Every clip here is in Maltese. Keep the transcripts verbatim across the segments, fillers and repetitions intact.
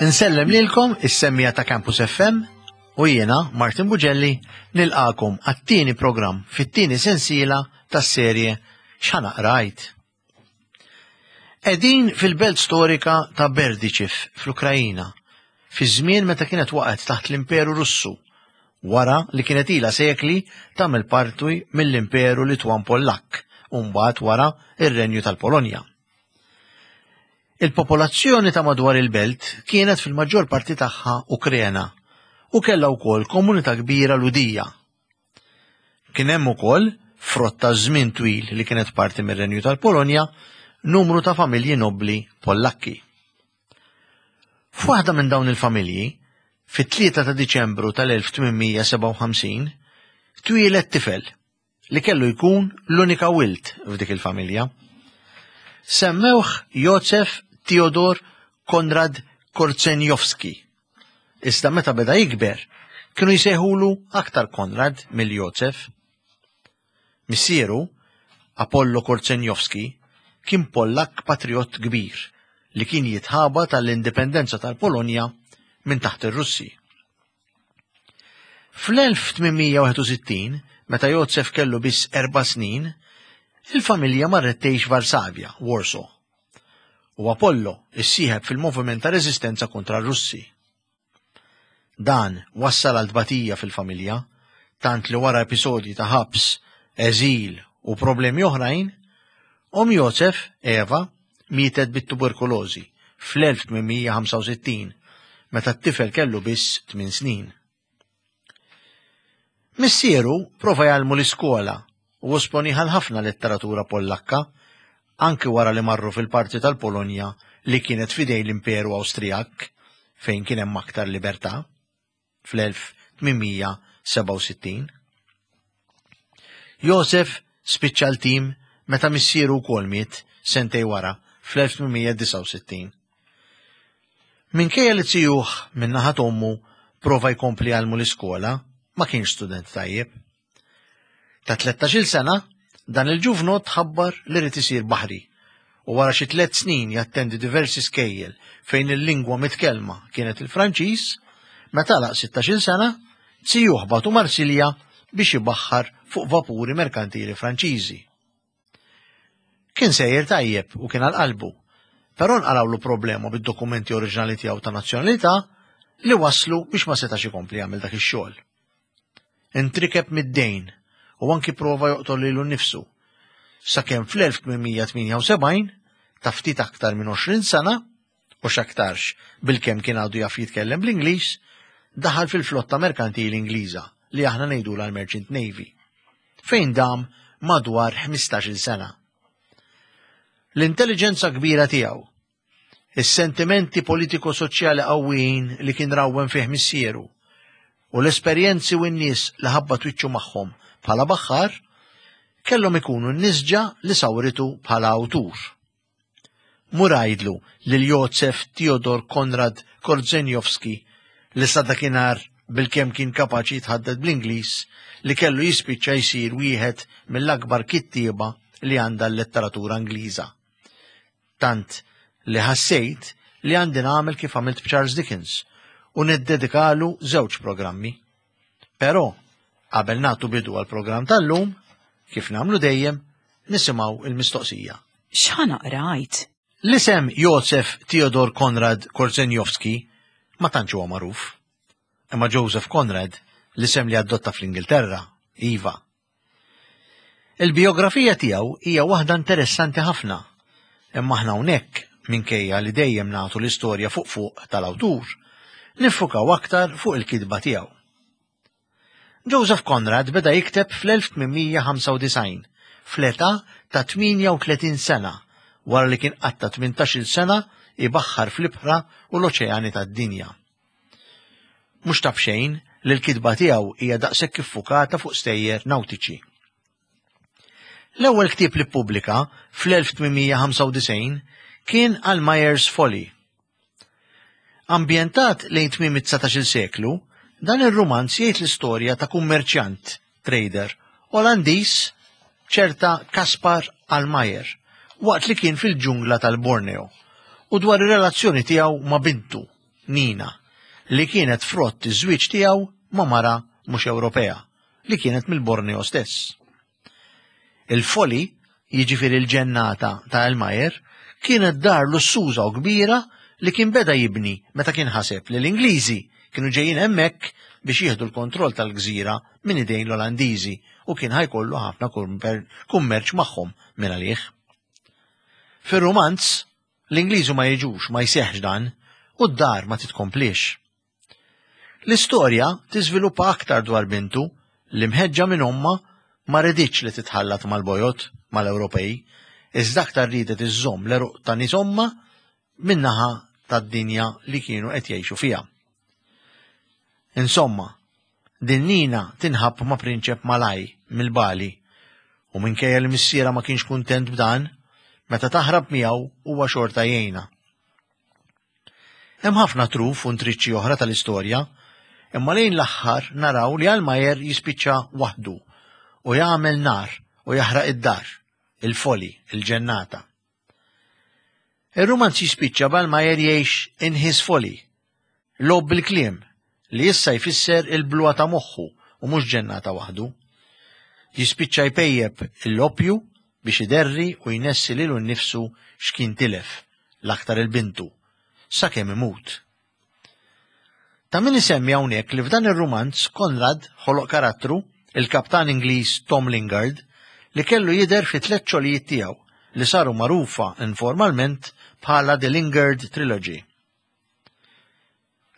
Insellem lilkom is-semmiegħa ta' Campus F M u jiena Martin Bugelli nilqagħkom għat-tieni programm fit-tieni sensiela tas-serje X'Ħa Naqra Għid. Qegħdin fil-belt storika ta' Berdiċiv fl-Ukrajina, fi żmien meta kienet waqgħet taħt l-Imperu Russu, wara li kienet ilha sekli tagħmel parti mill-Imperu Litwan Pollak u mbagħad wara ir-Renju tal-Polonja. Il-popolazzjoni ta' madwar il-belt kienet fil-maġġor parti tagħha Ukrena u kellha wkoll komunità kbira Lhudija. Kien hemm ukoll, frott ta' żmien twil li kienet parti mir-Renju tal-Polonja, numru ta' familji nobbli Pollakki. F'waħda minn dawn il-familji, fit-tlieta ta' Diċembru tal-elf tmien mija sebgħa u ħamsin, twieled tifel li kellu jkun l-unika wild f'dik il-familja. Semmewh Josef Theodor Konrad Korzenjowski. Iżda meta beda jikber, kienu jsejħulu aktar Konrad mill-Josef. Missieru, Apollo Korzenjowski, kien Pollak patriot kbir li kien jitħabat tal-indipendenza tal-Polonja minn taħt ir-Russi. Fl-elf tmien mija wieħed u sittin, meta Josef kellu biss erba' snin, il-familja marret tgħix Varsavja, Warsaw. U Apollo issieħeb fil-moviment ta' reżistenza kontra r-Russi. Dan wassal għal tbatija fil-familja, tant li wara episodji ta' ħabs, eżil u problemi oħrajn, omm Josef, Eva, mietet bit-tuberkulożi fl-elf tmien mija ħamsa u sittin, meta t-tifel kellu biss tmien snin. Missieru prova jgħallmu l-iskola u esponieh għal ħafna letteratura Pollakka, anki wara li marru fil-parti tal-Polonja li kienet f'idejn l-Imperu Awstrijak, fejn kien hemm aktar libertà, fl-elf tmien mija sebgħa u sittin. Josef spiċċa l-tim meta missieru wkoll miet sentejn wara fl-elf tmien mija disgħa u sittin. Minkejja li zijuh minn naħa t'ommu prova jkompli jgħallmu l-iskola, ma kienx student tajjeb. Ta' tlettax-il sena, dan il-ġuvnot ħabbar li rid isir baħri u wara xi tliet snin jattendi diversi skejjel fejn il-lingwa mitkellma kienet il-Franċiż, meta għalaq sittax-il sena, zijuh bagħtu Marsilja biex ibaħħar fuq vapuri merkantili Franċiżi. Kien sejjer tajjeb u kien għal qalbu, però nqalgħulu problema bid-dokumenti oriġinali tiegħu ta' nazzjonalità li waslu biex ma setax ikompli jagħmel dak ix-xogħol. Intrikeb mid-dejn u anki prova joqtol lilu nnifsu. Sakemm fl-elf tmien mija tmienja u sebgħin, ta' ftit aktar minn għoxrin sena, u x'aktarx bilkemm kien għadu jaf jitkellem bl-Ingliż, daħal fil-flotta merkantili Ingliża li aħna ngħidulha l-Merchant Navy, fejn dam madwar ħmistax-il sena. L-intelligenza kbira tiegħu, is-sentimenti politiko-soċjali qawwijin li kien rawwem fih missieru, u l-esperjenzi u n-nies li ħabbat wiċċu magħhom bħala baħħar, kellhom ikunu n-nisġa li sawritu bħala awtur. Mur għidlu lil Josef Theodor Konrad Korzenjowski li sa dakinhar bilkemm kien kapaċi jitħaddet bl-Ingliż li kellu jispiċċa jsir wieħed mill-akbar kittieba li għandha l-letteratura Ingliża. Tant li ħassejt li għandi nagħmel kif għamilt b'Charles Dickens u niddedikalu żewġ programmi. Però qabel nagħtu bidu għal programm tal-lum, kif nagħmlu dejjem, nisimgħu il-mistoqsija. X'Ħa Naqra Għid? L-isem Josef Theodor Konrad Korzenjowski ma tantx huwa magħruf. Imma Joseph Conrad, l-isem li adotta fl-Ingilterra, iva. Il-biografija tiegħu hija waħda interessanti ħafna, imma aħna hawnhekk, minkejja li dejjem nagħtu l-istorja fuq fuq tal-awtur, niffukaw aktar fuq il-kitba tiegħu. Joseph Conrad beda jikteb fl-elf tmien mija ħamsa u disgħin, fl-età ta' tmienja u tletin sena, wara li kien qatta tmintax-il sena ibaħħar fl-ibħra u l-oċeani tad-dinja. Mhux ta' b'xejn li l-kitba tiegħu hija daqshekk iffukata fuq stejjer nautiċi. L-ewwel ktieb li ppubblika fl-elf tmien mija ħamsa u disgħin kien Almayer's Folly. Ambjentat lejn tmiem it-dsatax-il seklu, dan ir-rumanz jgħid l-istorja ta' kummerċjant, trader, Olandiż, ċerta Kaspar Almayer, waqt li kien fil-ġungla tal-Borneo, u dwar ir-relazzjoni tiegħu ma' bintu. Nina, li kienet frott iż-żwieġ tiegħu ma' mara mhux Ewropea, li kienet mill-Borneo stess. Il-Folly, jiġifieri l-ġennata ta' Almayer, kienet dar lussuża u kbira li kien beda jibni meta kien ħaseb li l-Ingliżi kienu ġejjin hemmhekk biex jieħdu l-kontroll tal-gżira minn idejn l-Olandiżi u kien ħa jkollu ħafna kummerċ magħhom minn għalih. Fir-rumanz, l-Ingliżi ma jiġux, ma jseħħx dan, u d-dar ma titkomplix. L-istorja tiżviluppa aktar dwar bintu li mħeġġa minn ommha ma riditx li titħallat mal-bojod mal-Ewropej, iżda aktar ridet iżżomm l-għeruq ta' nies ommha min-naħa tad-dinja li kienu qed jgħixu fiha. Insomma, din Nina tinħabb ma' prinċep Malaj mill-Bali u minkejja li missierha ma kienx kuntent b'dan, meta taħrab miegħu huwa xorta jgħinha. Hemm ħafna truf u ntriċċi oħra tal-istorja, imma lejn l-aħħar naraw li Almayer jispiċċa waħdu u jagħmel nar u jaħraq id-dar, il-Folly, il-ġennata. Ir-rumanz jispiċċa b'Almayer jgħix in his folly, logħob bil-kliem li issa jfisser il-bluha ta' moħħu u mhux ġennata waħdu. Jispiċċa jpejjeb l-opju biex iderri u jnessi lilu nnifsu x'kien tilef, l-aktar lil bintu, sakemm imut. Ta' min isemmi hawnhekk li f'dan ir-rumanz Conrad ħoloq karattru, il-kaptan Ingliż Tom Lingard, li kellu jidher fi tliet xogħlijiet tiegħu li saru magħrufa informalment bħala The Lingard Trilogy.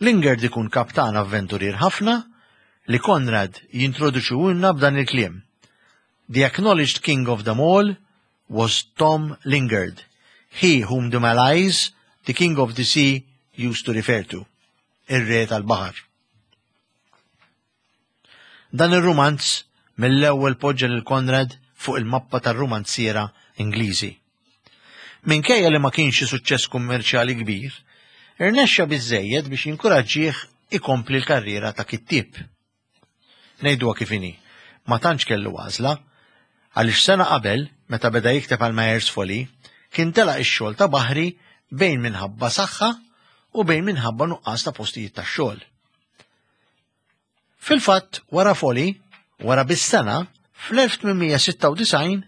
Lingard ikun kaptan avventurier ħafna li Conrad jintroduċuhulna b'dan il-kliem. The acknowledged king of them all was Tom Lingard, he whom the Malays, the king of the sea, used to refer to. Ir-re tal-baħar. Dan ir-rumanz mill-ewwel poġġa lil Conrad fuq il-mappa tar-rumanziera Ingliżi. Minkejja li ma kienx suċċess kummerċjali kbir, irnexxa biżejjed biex jinkuraġġih ikompli l-karriera ta' kittieb. Ngħiduha kif inhi, ma tantx kellu għażla, għaliex sena qabel, meta beda jikteb Almayer's Folly, kien telaq ix-xogħol ta' baħri bejn minħabba saħħa u bejn minħabba nuqqas ta' postijiet ta' xogħol. Fil-fatt, wara Folly, wara bis-sena, fl-elf tmien mija sitta u disgħin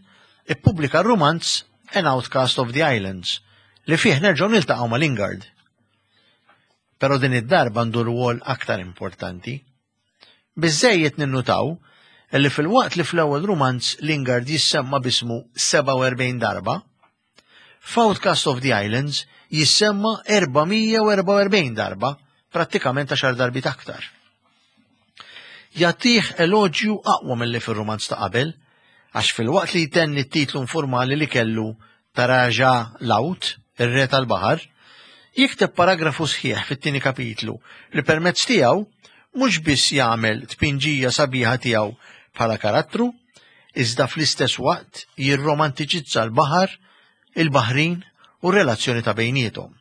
ippubblika r-rumanz An Outcast of the Islands, li fih nerġgħu niltaqgħu ma' Lingard. Però din id-darba għandu rwol aktar importanti. Biżejjed ninnutaw li filwaqt li fl-ewwel rumanz Lingard jissemma bismu sebgħa u erbgħin darba, f'Outcast of the Islands jissemma erba' mija u erbgħa u erbgħin darba, prattikament għaxar darbiet aktar. Jagħtih eloġju aqwa mill-li fil-rumanz ta' qabel, għax filwaqt li jtenni t-titlu informali li kellu ta' Raja Laut, ir-re tal-baħar, jikteb paragrafu sħiħ fit-tieni kapitlu li permezz tiegħu mhux biss jagħmel tpinġija sabiħa tiegħu bħala karattru, iżda fl-istess waqt jirromantiċizza l-baħar, il-baħrin u r-relazzjoni ta' bejniethom.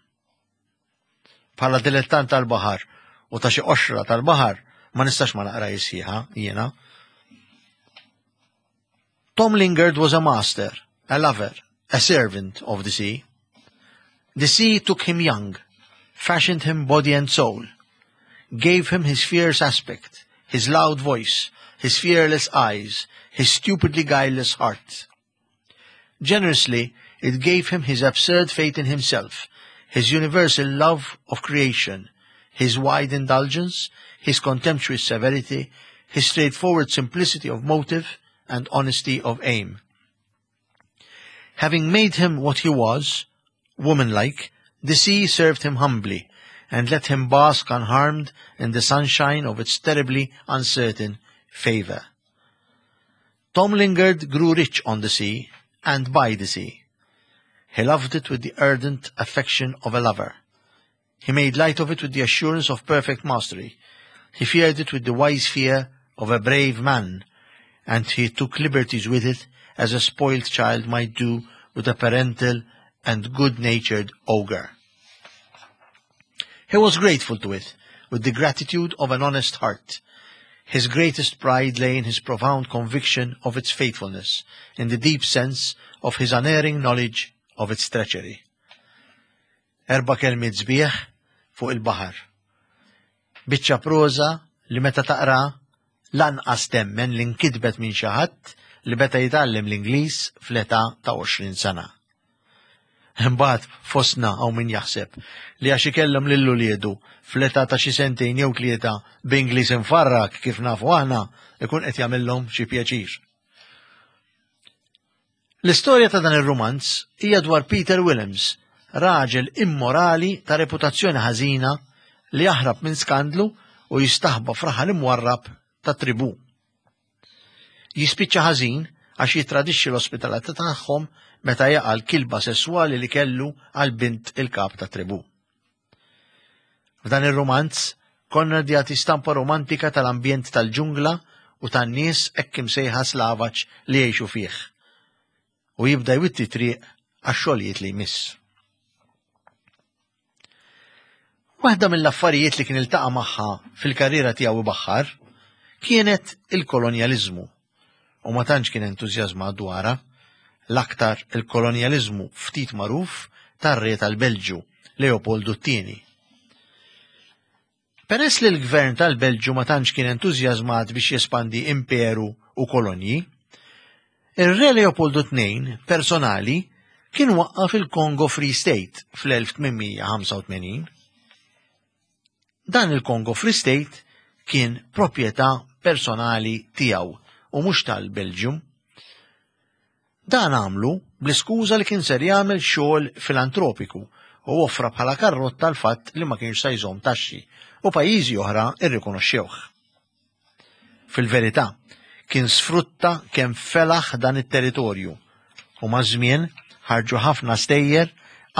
Bħala dilettant tal-baħar u ta' xi qoxra tal-baħar ma nistax ma naqra sħiħa jiena. Tom Lingard was a master, a lover, a servant of the sea. The sea took him young, fashioned him body and soul, gave him his fierce aspect, his loud voice, his fearless eyes, his stupidly guileless heart. Generously, it gave him his absurd faith in himself, his universal love of creation, his wide indulgence, his contemptuous severity, his straightforward simplicity of motive and honesty of aim. Having made him what he was, womanlike, the sea served him humbly and let him bask unharmed in the sunshine of its terribly uncertain favor. Tom Lingard grew rich on the sea and by the sea. He loved it with the ardent affection of a lover. He made light of it with the assurance of perfect mastery. He feared it with the wise fear of a brave man, and he took liberties with it as a spoiled child might do with a parental and good-natured ogre. He was grateful to it, with the gratitude of an honest heart. His greatest pride lay in his profound conviction of its faithfulness, in the deep sense of his unerring knowledge of its treachery. Erba' kelmiet sbieħ fuq il-baħar. Biċċa proża li meta taqra lanqas temmen li nkitbet minn xi ħadd li beda jitgħallem l-Ingliż fl-età ta' għoxrin sena. Imbagħad fostna hawn min jaħseb li għax ikellem lil uliedu fl-età ta' xi sentejn jew tlieta b'Ingliż imfarrak kif nafu aħna ikun qed jagħmilhom xi pjaċir. L-istorja ta' dan ir-rumanz hija dwar Peter Willems, raġel immorali ta' reputazzjoni ħażina li jaħrab minn skandlu u jistaħba f'raħal imwarrab ta' tribu. Jispiċċa ħażin għax jitradixxi l-ospitalità tagħhom meta jaqa' l-kilba sesswali li kellu għal bint il-kap ta' tribu. F'dan ir-rumanz, Conrad jagħti stampa romantika tal-ambjent tal-ġungla u tan-nies hekk imsejħa slavaġ li jgħixu fih. U jibda jwitti triq għax-xogħlijiet li jmiss. Waħda mill-affarijiet li kien iltaqa' magħha fil-karriera tiegħu ibaħħar kienet il-kolonjaliżmu. U ma tantx kien entużjażmat dwarha, l-aktar il-kolonjaliżmu ftit magħruf tar-re tal-Belġju, Leopoldu t-tieni. Peress li l-gvern tal-Belġju ma tantx kien entużjażmat biex jespandi imperu u kolonji, ir-re Leopoldu t-tnejn personali kien waqqaf il-Congo Free State fl-elf tmien mija ħamsa u tmenin. Dan il-Congo Free State kien proprjetà personali tiegħu u mhux tal-Belġium. Dan għamlu bl-iskuża li kien ser jagħmel xogħol filantropiku u offra bħala karrotta l-fatt li ma kienx se jżomm taxxi u pajjiżi oħra irrikonoxxewh. Fil-verità, kien sfrutta kemm felaħ dan it-territorju u maż-żmien ħarġu ħafna stejjer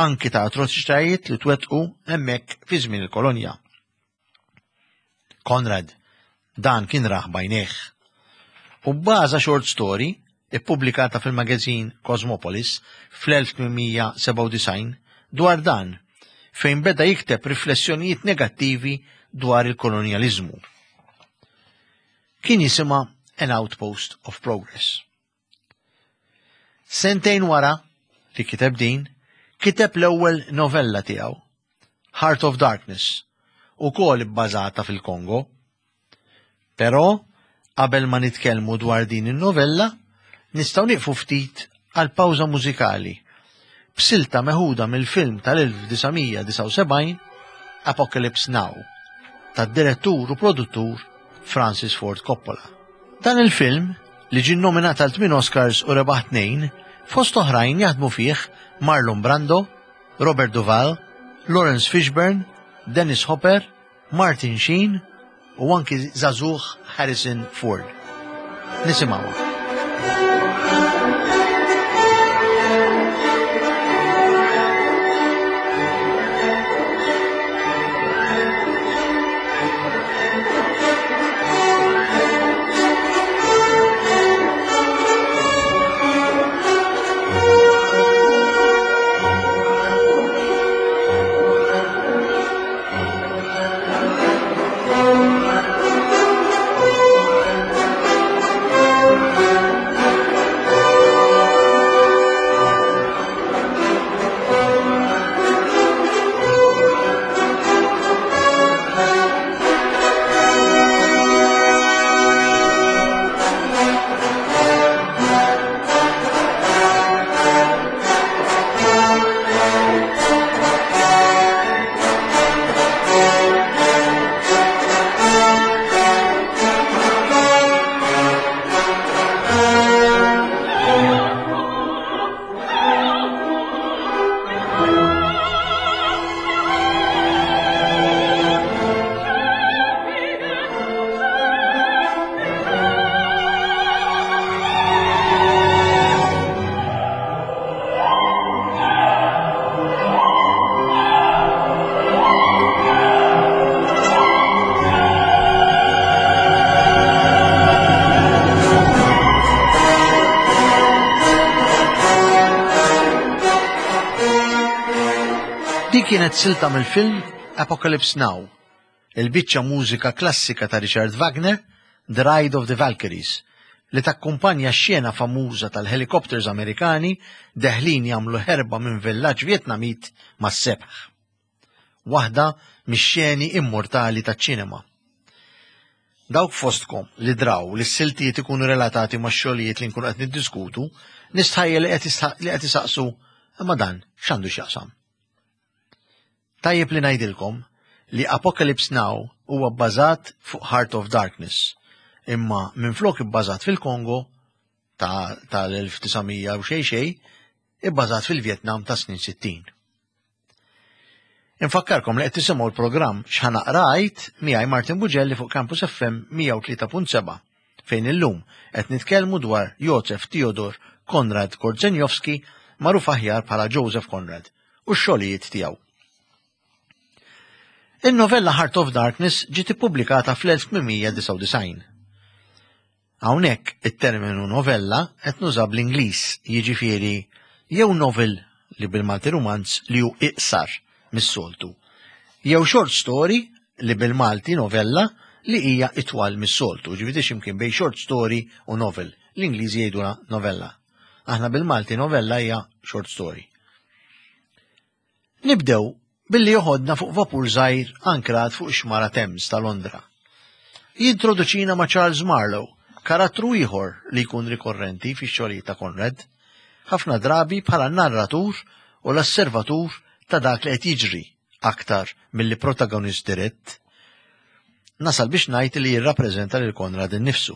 anki ta' atroċitajiet li twettqu hemmhekk fi żmien il-kolonja. Conrad dan kien raħ bajnejh. U bbaża short story ippubblikata fil-magazin Cosmopolis fl-elf tmien mija sebgħa u disgħin dwar dan, fejn beda jikteb riflessjonijiet negattivi dwar il-kolonjaliżmu. Kien jisimha An Outpost of Progress. Sentejn wara li kiteb din, kiteb l-ewwel novella tiegħu, Heart of Darkness, ukoll ibbażata fil-Kongo. Però, qabel ma nitkellmu dwar din in-novella, nistgħu nieqfu ftit għal pawża mużikali b'silta meħuda mill-film tal-elf disa' mija disgħa u sebgħin Apocalypse Now tad-direttur u produttur Francis Ford Coppola. Dan il-film, li ġie nominat għal tmien Oscars u rebaħ tnejn, fost oħrajn jaħdmu fih Marlon Brando, Robert Duvall, Laurence Fishburne, Dennis Hopper, Martin Sheen u anki żagħżugħ Harrison Ford. Nisimgħuha. Din kienet silta mill-film Apocalypse Now, il-biċċa mużika klassika ta' Richard Wagner, The Ride of the Valkyries, li takkumpanja x-xena famuża tal-helikopters Amerikani deħlin jagħmlu ħerba minn villaġġ Vjetnamit mas-sebħ. Waħda mix-xeni immortali taċ-ċinema. Dawk fostkom li draw li s-siltiet ikunu relatati ma' xogħlijiet li nkunu qed niddiskutu, nistħajjel li qed isaqsu imma dan x'għandu x'jaqsam. Tajjeb li ngħidilkom li Apocalypse Now huwa bbażat fuq Heart of Darkness, imma minflok ibbażat fil-Kongo tal-elf disa' mija u xejn xejn, ibbażat fil-Vjetnam ta' snin sittin. Infakkarkom li qed tisimgħu l-programm X'Ħa Naqra Għid miegħi Martin Bugelli fuq Campus F M mija u tlieta punt seba' fejn illum qed nitkellmu dwar Joseph Theodor Konrad Korzeniowski, magħruf aħjar bħala Joseph Conrad, u x-xogħlijiet tiegħu. In-novella Heart of Darkness ġiet ippubblikata fl-elf tmien mija disgħa u disgħin. Hawnhekk it-terminu novella qed nuża bl-Ingliż, jiġifieri jew novel li bil-Malti rumanz li hu iqsar mis-soltu, jew short story li bil-Malti novella li hija itwal mis-soltu, ġifieri x'imkien bejn short story u novel. L-Ingliżi jgħidulha novella. Aħna bil-Malti novella hija short story. Nibdew billi joħodna fuq vapur żgħir ankrat fuq xmara Thames ta' Londra. Jintroduċina ma' Charles Marlowe, karattru ieħor li jkun rikorrenti fix-xogħlijiet ta' Conrad, ħafna drabi bħala narratur u l-osservatur ta' dak li qed jiġri aktar milli protagonist dirett. Nasal biex ngħid li jirrappreżenta lil Conrad innifsu.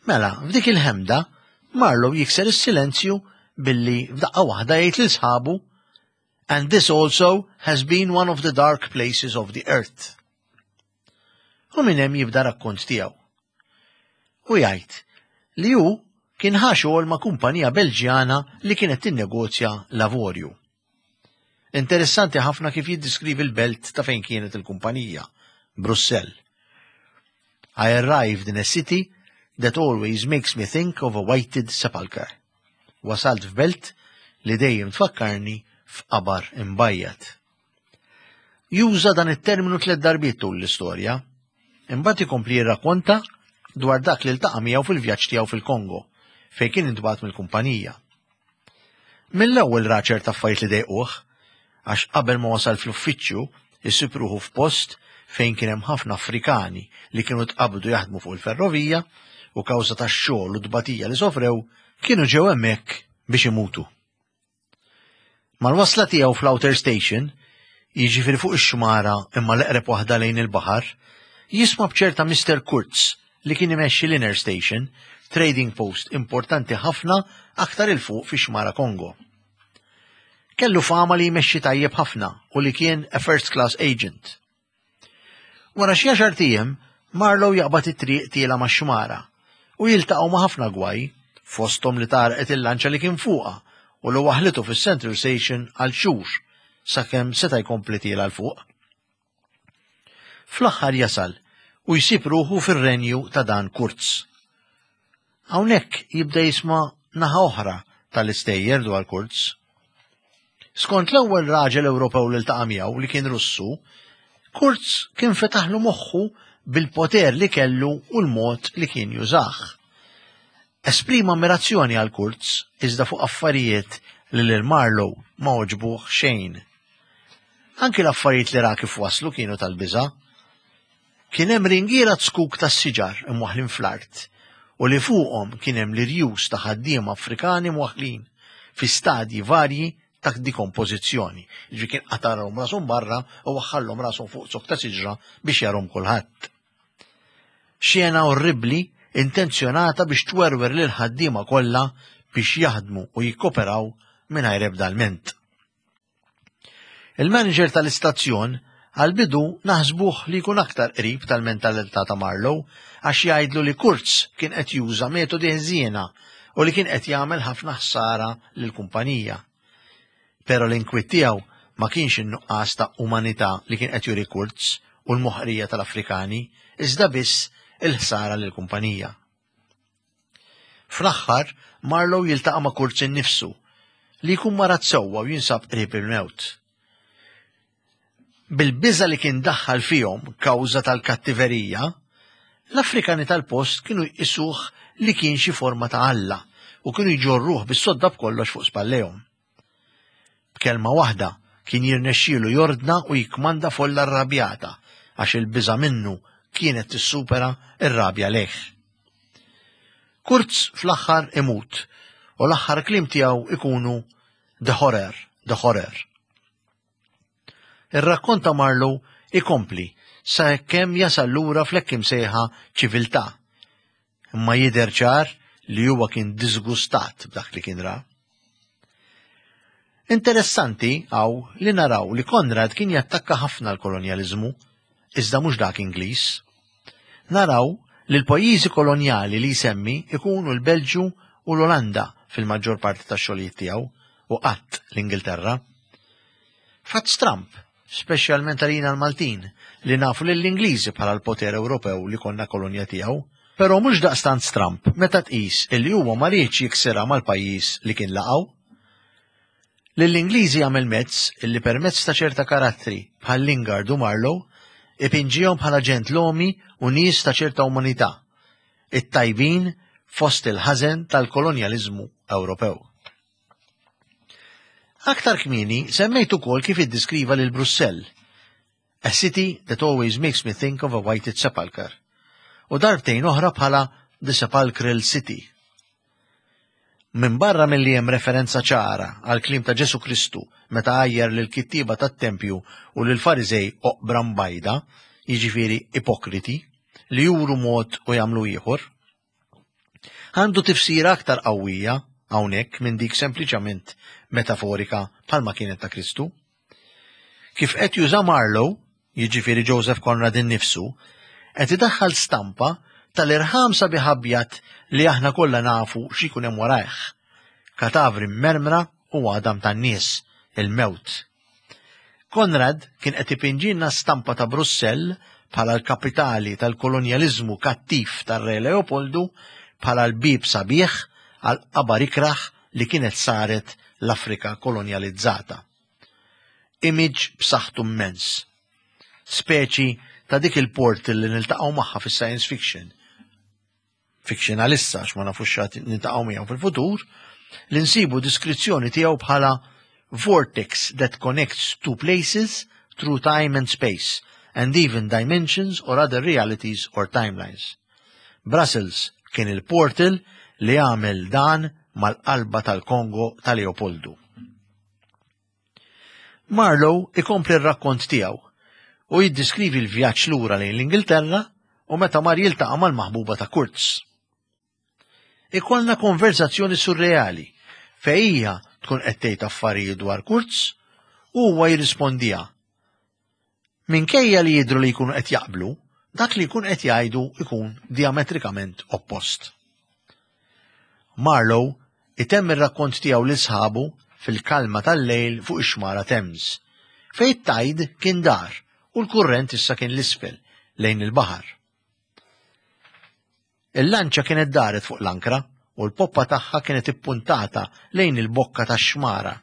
Mela, f'dik il-ħemda, Marlowe jikser is-silenzju billi f'daqqa waħda jgħid lil sħabu, And this also has been one of the dark places of the earth. U minn hemm jibda rakkont tiegħu. U jgħid li hu kien ħa xogħol ma' kumpanija Belġjana li kienet tinnegozja l-avorju. Interessanti ħafna kif jiddiskrivi l-belt ta' fejn kienet il-kumpanija, Brussell. I arrived in a city that always makes me think of a whited sepulchre. Wasalt f'belt li dejjem tfakkarni f'qabar imbajjad. Juża dan it-terminu tliet darbiet tul l-istorja, imbagħad ikompli jirrakkonta dwar dak li ltaqa' miegħu fil-vjaġġ tiegħu fil-Kongo, fejn kien intbagħat mill-kumpanija. Mill-ewwel ra ċerta affarijiet li dejquh, għax qabel ma wasal fl-uffiċċju isib ruħu f'post fejn kien hemm ħafna Afrikani li kienu tqabdu jaħdmu fuq il-ferrovija u kawża tax-xogħol u tbatija li sofrew kienu ġew hemmhekk biex imutu. Mal-wasla tiegħu fl-Outer Station, jiġifieri fuq ix-xmara imma l-eqreb waħda lejn il-baħar, jisma' b'ċerta Mister Kurtz li kien imexxi l-Inner Station, trading post importanti ħafna aktar il fuq fi xmara Kongo. Kellu fama li jmexxi tajjeb ħafna u li kien a first class agent. Wara xi għaxar ijiem, Marlowe jaqbad it-triq tiela max-xmara u jiltaqgħu ma' ħafna gwaj, fosthom li tarqet il-lanċa li kien fuqha u li waħlitu fis-Central Station għal xhur sakemm seta' jkompli tiela l fuq. Fl-aħħar jasal u jsib ruħu fir-renju ta' dan Kurtz. Hawnhekk jibda jisma' naħa oħra tal-istejjer dwar Kurtz. Skont l-ewwel raġel Ewropew li ltaqa' miegħu li kien Russu, Kurtz kien fetaħlu moħħu bil-poter li kellu u l-mod li kien jużah. Esprima ammirazzjoni għal Kurtz iżda fuq affarijiet li lil Marlowe ma għoġbuh xejn. Anki l-affarijiet li ra kif waslu kienu tal-biża'. Kien hemm ringiela zkuk tas-siġar imwaħħlin fl-art u li fuqhom kien hemm l-irjus ta' ħaddiema Afrikani mwaħħlin fi stadji varji ta' dikompożizzjoni. Ġifieri kien qatarhom rashom barra u waħħalhom rashom fuq zokk ta' siġra biex jarhom kulħadd. Xena orribbli intenzjonata biex twerwer lil ħaddiema kollha biex jaħdmu u jikkoperaw mingħajr ebda lment. Il-manager tal-istazzjon għal-bidu naħsbuh li jkun aktar qrib tal-mentalità ta' Marlowe għax jgħidlu li Kurtz kien qed juża metodi ħżiena u li kien qed jagħmel ħafna ħsara lill-kumpanija. Però l-inkwiet tiegħu ma kienx in-nuqqas ta' umanità li kien qed juri Kurtz u l-moħqrija tal-Afrikani, iżda biss il-ħsara lill-kumpanija. Fl-aħħar, Marlowe jiltaqa' ma' Kurtz innifsu li jkun marat sewwa u jinsab qrib il-mewt. Bil-biża' li kien daħħal fihom kawża tal-kattiverija, l-Afrikani tal-post kienu jqisuh li kien xi forma ta' Alla u kienu jġorruh bis-sodda b'kollox fuq spallejhom. B'kelma waħda Kien jirnexxielu jordna u jikkmanda folla rrabjata għax il-biża' minnu kienet tissupera r-rabja lejh. Kurz fl-aħħar imut u l-aħħar kliem tiegħu ikunu "The horror, the horror." Ir-rakkont ta' Marlowe ikompli sa kemm jasal lura fl-hekk imsejħa ċiviltà. Imma jidher ċar li huwa kien disgustat b'dak li kien ra. Interessanti hawn li naraw li Konrad kien jattakka ħafna l-kolonjaliżmu, iżda mhux dak Ingliż. Naraw li l-pajjiżi kolonjali li jsemmi ikunu l-Belġju u l-Olanda fil-maġġor parti tax-xogħlijiet tiegħu u qatt l-Ingilterra. Fatt stramp, speċjalment għalina l-Maltin, li nafu lill-Ingliżi bħala l-poter Ewropew li konna kolonja tiegħu, però mhux daqstant stramp meta tqis illi huwa ma riedx jiksirha mal-pajjiż li kien laqgħu. Lill-Ingliżi għamel mezz illi permezz ta' ċerta karattri bħal Lingard u Marlowe ipinġihom bħala ġentlomi u nies ta' ċerta umanità, it-tajbin fost il-ħażen tal-kolonjaliżmu Ewropew. Aktar kmieni semmejt ukoll kif iddiskriva lil Brussell, "A city that always makes me think of a whited sepulchre", u darbtejn oħra bħala "The Sepulchral City". Min barra milli hemm referenza ċara għal kliem ta' Ġesu Kristu meta għajjar lil kittieba tat-tempju u lil Fariżej oqbra mbajda, jiġifieri ipokriti, li juru mod u jagħmlu ieħor, għandu tifsira aktar qawwija hawnhekk minn dik sempliċament metaforika bħalma kienet ta' Kristu. Kif qed juża Marlowe, jiġifieri Joseph Conrad innifsu, qed idaħħal stampa tal-irħam sabiħ abjad li aħna kollha nafu x'ikun hemm warajh. Katavri mermra u għadam tan-nies, il-mewt. Konrad kien qed ipinġilna stampa ta' Brussell bħala l-kapitali tal-kolonjaliżmu kattiv tar-Re Leopoldu, bħala l-bib sabiħ għal qabar ikraħ li kienet saret l-Afrika kolonjalizzata. Image b'saħħtu immens. Speċi ta' dik il-portal li niltaqgħu magħha fis-science fiction. Fiction għalissa, għax ma nafux x'għad niltaqgħu miegħu fil-futur, li nsibu diskrizzjoni tiegħu bħala "vortex that connects two places through time and space and even dimensions or other realities or timelines". Brussels kien il-portal li għamel dan mal-qalba tal-Kongo ta' Leopoldu. Marlowe ikompli r-rakkont tiegħu u jiddiskrivi l-vjaġġ lura lejn l-Ingilterra u meta mar jiltaqa' mal-maħbuba ta' Kurz. Ikollna konverzazzjoni surreali fejn hija tkun qed tgħid affarijiet dwar Kurz u huwa jirrispondiha. Minkejja li jidhru li jkunu qed jaqblu, dak li jkun qed jgħidu ikun diametrikament oppost. Marlowe itemm ir-rakkont tiegħu lil sħabu fil-kalma tal-lejl fuq ix-xmara Thames, fejn it-tide kien dar u l-kurrent issa kien l-isfel lejn il-baħar. Il-lanċa kienet daret fuq l-ankra u l-poppa tagħha kienet ippuntata lejn il-bokka tax-xmara,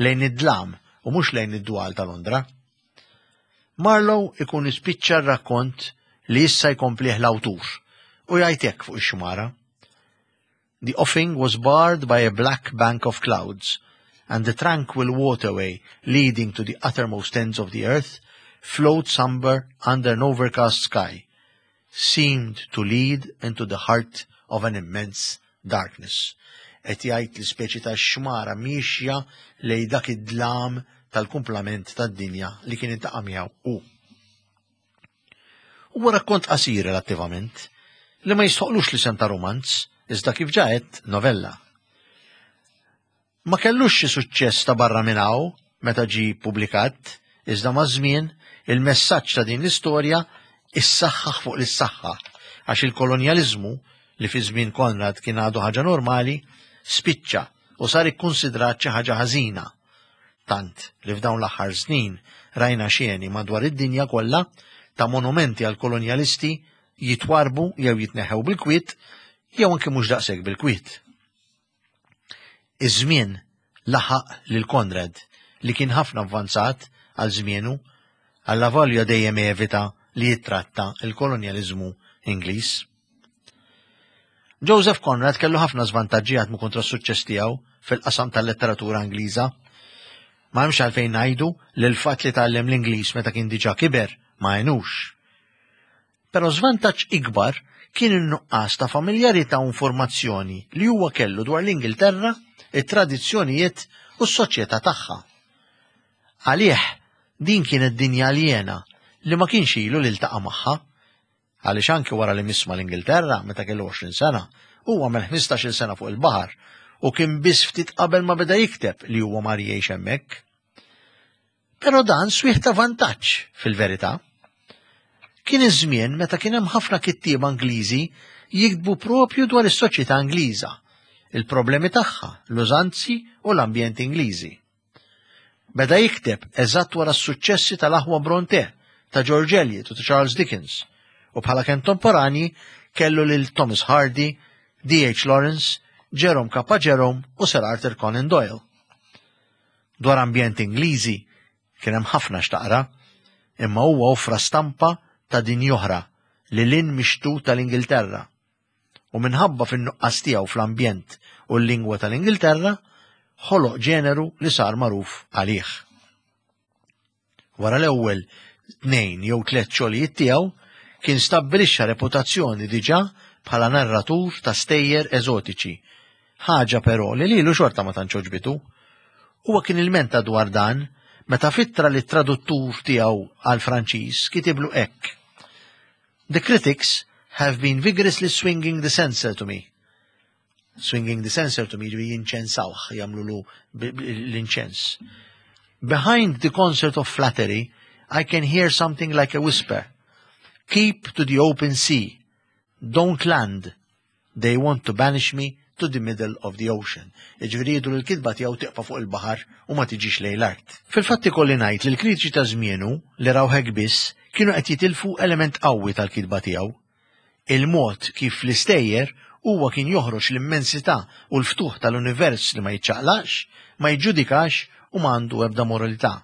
lejn id-dlam u mhux lejn id-dwal ta' Londra. Marlowe ikun ispiċċa r-rakkont li issa jkomplih l-awtur u jgħid hekk fuq ix-xmara: "The offing was barred by a black bank of clouds, and the tranquil waterway leading to the uttermost ends of the earth flowed somber under an overcast sky, seemed to lead into the heart of an immense darkness." Qed jgħid li speċi ta' xmara miexja lejn dak id-dlam tal-kumplament tad-dinja li kien iltaqa' miegħu hu. Huwa rakkont qasir relattivament li ma jistħoqlux l-isem ta' romanz, iżda kif ġa għedt, novella. Ma kellux xi suċċess ta' barra minn hawn meta ġi publikat, iżda maż-żmien il-messaġġ ta' din l-istorja issaħħaħ fuq l-issaħħa għax il-kolonjaliżmu, li fi żmien Konrad kien għadu ħaġa normali, spiċċa u sar ikkunsidrat xi ħaġa ħażina. Tant li f'dawn l-aħħar snin rajna xeni madwar id-dinja kollha ta' monumenti għal kolonjalisti jitwarbu jew jitneħew bil-kwiet jew anke mhux daqshekk bil-kwiet. Iż-żmien laħaq lil Konrad, li kien ħafna avvanzat għal żmienu, għallavolja dejjem evita li jittratta il-kolonjaliżmu Ingliż. Joseph Conrad kellu ħafna żvantaġġi jaħdmu kontra s-suċċess tiegħu fil-qasam tal-letteratura Ingliża. Ma hemmx għalfejn ngħidu li l-fatt li tgħallem l-Ingliż meta kien diġà kiber ma għenux. Però żvantaġġ ikbar kien in-nuqqas ta' familjarità u informazzjoni li huwa kellu dwar l-Ingilterra, it-tradizzjonijiet u s-soċjetà tagħha. Għalih din kienet dinja aljena li ma kienx ilu li ltaqa' magħha. Għaliex anki wara li miss mal-Ingilterra meta kellu għoxrin sena, huwa għamel ħmistax-il sena fuq il-baħar u kien biss ftit qabel ma beda jikteb li huwa mar jgħix hemmhekk. Però dan swieħ ta' vantaġġ fil-verità. Kien iż-żmien meta kien hemm ħafna kittieba Ingliżi jiktbu propju dwar is-soċjetà Ingliża, il-problemi tagħha, l-użanzi u l-ambjent Ingliżi. Beda jikteb eżatt wara s-suċċessi tal-aħwa Bronte, ta' George Eliot u ta' Charles Dickens, u bħala kontemporanji kellu lil Thomas Hardy, D H Lawrence, Jerome K. Jerome u Sir Arthur Conan Doyle. Dwar ambjent Ingliżi kien hemm ħafna x'taqra, imma huwa offra stampa ta' din oħra li lin mixtu tal-Ingilterra. U minħabba fin-nuqqas tiegħu fl-ambjent u l-lingwa tal-Ingilterra, ħoloq ġeneru li sar magħruf għalih. Wara l-ewwel tnejn jew tliet xogħlijiet tiegħu kien stabbilixxa reputazzjoni diġà bħala narratur ta' stejjer eżotiċi, ħaġa però li lilu xorta ma tantx għoġbitu. Huwa kien ilmenta dwar dan meta fittra li traduttur tiegħu għal Franċiż kitiblu hekk. The critics have been vigorously swinging the censer to me. Swinging the censer to me ġifieri jinċensawh, jagħmlulu l-inċens. Behind the concert of flattery, I can hear something like a whisper. Keep to the open sea. Don't land. They want to banish me to the middle of the ocean. Jiġifieri jridu li l-kitba tiegħu tiqpa' fuq il-baħar u ma tiġix lejn l-art. Fil-fatt ikolli ngħid li l-kritiċi ta' żmienu li raw hekk biss kienu qed jitilfu element qawwi tal-kitba tiegħu. Il-mod kif l-istejjer huwa kien joħroġ l-immensità u l-ftuħ tal-univers li ma jiċċaqlaqx, ma jiġġudikax u ma għandu ebda moralità.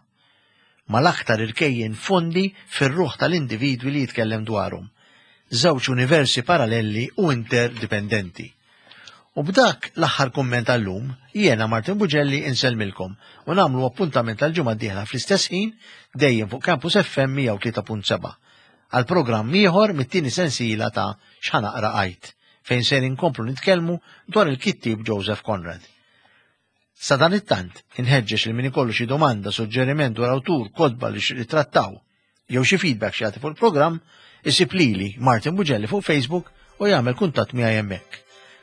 Ma l-aktar irkejjen fondi fir-ruħ tal-individwi li jitkellem dwarhom. Żewġ universi paralleli u interdipendenti. U b'dak l-aħħar kumment għallum, jiena Martin Bugelli insellmilkom u nagħmlu appuntament għal-ġimgħa d-dieħla fl-istess ħin dejjem fuq Campus F M mija u tlieta punt seba' għal programm ieħor mit-tieni sensiela ta' X'Ħa Naqra Għid, fejn ser inkomplu nitkellmu dwar il-kittieb Joseph Conrad. Sa dan it-tant, inħeġġeġ li min ikollu xi domanda, suġġeriment dwar awtur, kotba li x-, li trattaw, jew xi feedback xi jagħti fuq il-programm, isib lili Martin Bugelli fuq Facebook u jagħmel kuntatt miegħi hemmhekk.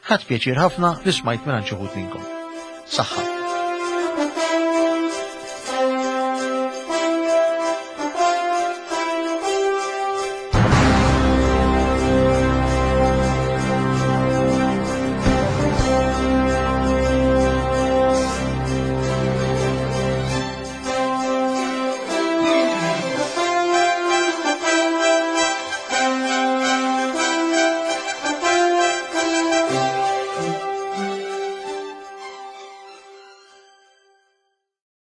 Ħadt pjaċir ħafna li smajt minn xi wħud minnkom. Saħħa.